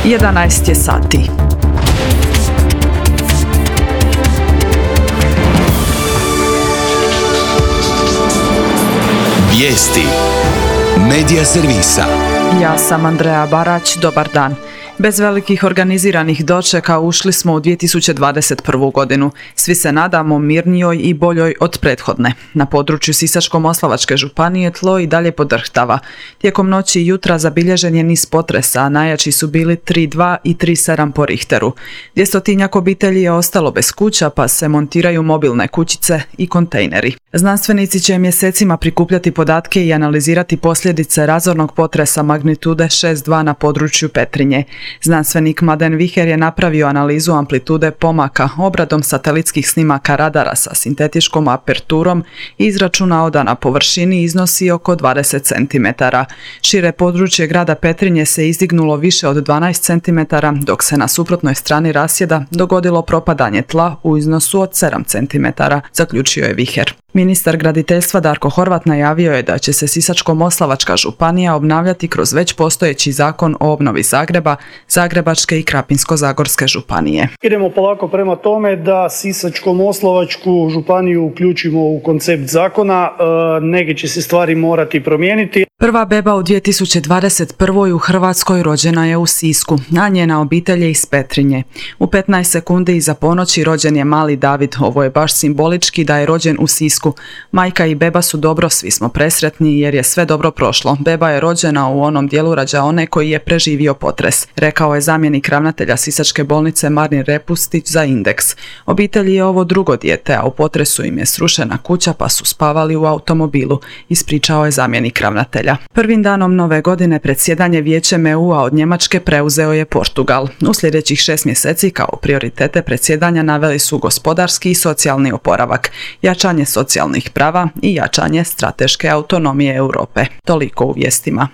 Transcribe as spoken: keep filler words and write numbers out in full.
jedanaest je sati. Vijesti Medija servisa. Ja sam Andreja Barać, dobar dan. Bez velikih organiziranih dočeka ušli smo u dvije tisuće dvadeset prvu. godinu. Svi se nadamo mirnijoj i boljoj od prethodne. Na području Sisačko-moslavačke županije tlo i dalje podrhtava. Tijekom noći i jutra zabilježen je niz potresa, a najjači su bili tri dva i tri sedam po Richteru. Dvjestotinjak obitelji je ostalo bez kuća, pa se montiraju mobilne kućice i kontejneri. Znanstvenici će mjesecima prikupljati podatke i analizirati posljedice razornog potresa magnitude šest dva na području Petrinje. Znanstvenik Mladen Viher je napravio analizu amplitude pomaka obradom satelitskih snimaka radara sa sintetičkom aperturom i izračunao da na površini iznosi oko dvadeset centimetara. Šire područje grada Petrinje se izdignulo više od dvanaest centimetara, dok se na suprotnoj strani rasjeda dogodilo propadanje tla u iznosu od sedam centimetara, zaključio je Viher. Ministar graditeljstva Darko Horvat najavio je da će se Sisačko-moslavačka županija obnavljati kroz već postojeći zakon o obnovi Zagreba, Zagrebačke i Krapinsko-zagorske županije. Idemo polako prema tome da Sisačko-moslavačku županiju uključimo u koncept zakona, neke će se stvari morati promijeniti. Prva beba u dvije tisuće dvadeset prvoj. u Hrvatskoj rođena je u Sisku, a njena obitelj je iz Petrinje. U petnaest sekundi iza ponoći rođen je mali David. Ovo je baš simbolički da je rođen u Sisku. Majka i beba su dobro, svi smo presretni jer je sve dobro prošlo. Beba je rođena u onom dijelu rađaone koji je preživio potres, rekao je zamjenik ravnatelja Sisačke bolnice Marin Repustić za Indeks. Obitelji je ovo drugo dijete, a u potresu im je srušena kuća pa su spavali u automobilu, ispričao je zamjenik ravnatelja. Prvim danom nove godine predsjedanje Vijećem E U-a od Njemačke preuzeo je Portugal. U sljedećih šest mjeseci kao prioritete predsjedanja naveli su gospodarski i socijalni oporavak, jačanje socijalnih prava i jačanje strateške autonomije Europe. Toliko u vijestima.